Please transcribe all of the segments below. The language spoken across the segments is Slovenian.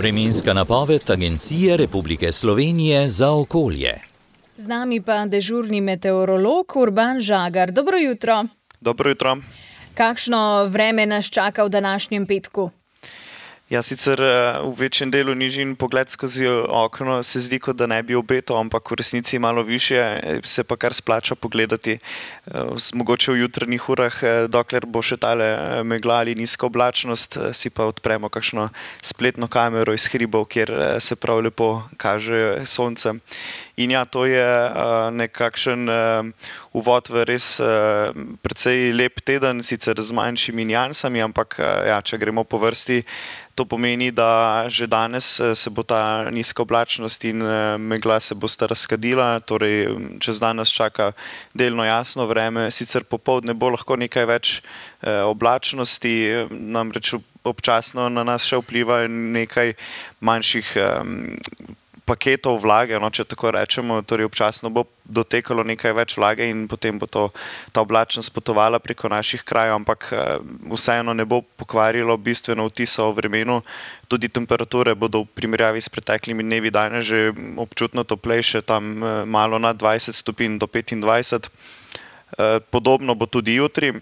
Vremenska napoved Agencije Republike Slovenije za okolje. Z nami pa dežurni meteorolog Urban Žagar. Dobro jutro. Dobro jutro. Kakšno vreme nas čaka v današnjem petku? Ja, sicer v večjem delu nižin pogled skozi okno se zdi, kot da ne bi obetal, ampak v resnici malo višje, se pa kar splača pogledati. Mogoče v jutranjih urah, dokler bo še tale megla ali nizka oblačnost, si pa odpremo kakšno spletno kamero iz hribov, kjer se prav lepo kaže sonce. In ja, to je nekakšen uvod v res precej lep teden, sicer z manjšimi niansami, ampak ja, če gremo po vrsti, to pomeni, da že danes se bo ta nizka oblačnost in megla se bosta razkadila, torej čez dan nas čaka delno jasno vreme, sicer popoldne bo lahko nekaj več oblačnosti, namreč občasno na nas še vpliva nekaj manjših paketov vlage, no, če tako rečemo, torej občasno bo dotekalo nekaj več vlage in potem bo ta oblačnost potovala preko naših krajev, ampak vseeno ne bo pokvarilo bistveno vtisa o vremenu. Tudi temperature bodo v primerjavi s preteklimi dnevi danes že občutno toplejše, tam malo nad 20 stopinj do 25. Podobno bo tudi jutri,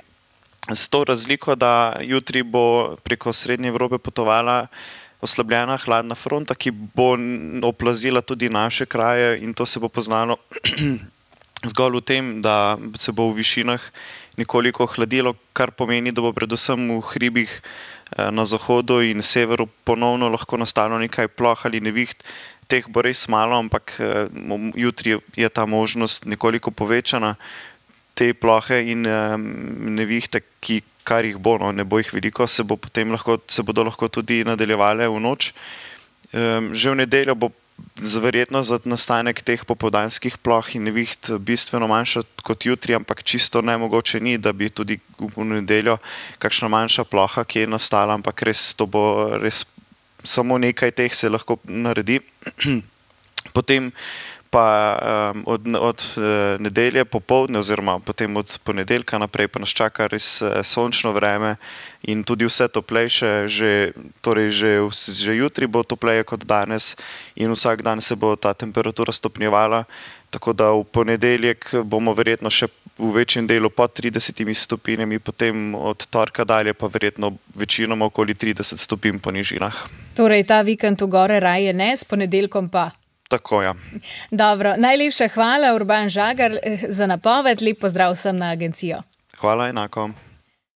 s to razliko, da jutri bo preko Srednje Evrope potovala oslabljena hladna fronta, ki bo oplazila tudi naše kraje, in to se bo poznalo zgolj v tem, da se bo v višinah nekoliko hladilo, kar pomeni, da bo predvsem v hribih na zahodu in severu ponovno lahko nastalo nekaj ploh ali neviht. Teh bo res malo, ampak jutri je ta možnost nekoliko povečana. Te plohe in nevihte, kar jih bo, no, ne bo jih veliko, se bodo lahko tudi nadaljevale v noč. Že v nedeljo bo verjetno za nastanek teh popoldanskih ploh in neviht bistveno manjša kot jutri, ampak čisto nemogoče ni, da bi tudi v nedeljo kakšna manjša ploha, ki je nastala, ampak to bo res samo nekaj teh se lahko naredi. Potem pa od nedelje popoldne oziroma potem od ponedeljka naprej pa nas čaka res sončno vreme in tudi vse toplejše, že jutri bo topleje kot danes in vsak dan se bo ta temperatura stopnjevala, tako da v ponedeljek bomo verjetno še v večjem delu pod 30 stopinjami, potem od torka dalje pa verjetno večinoma okoli 30 stopinj po nižinah. Torej ta vikend v gore raje ne, s ponedeljkom pa? Tako, ja. Dobro, najlepša hvala, Urban Žagar, za napoved. Lep pozdrav vsem na agencijo. Hvala, enako.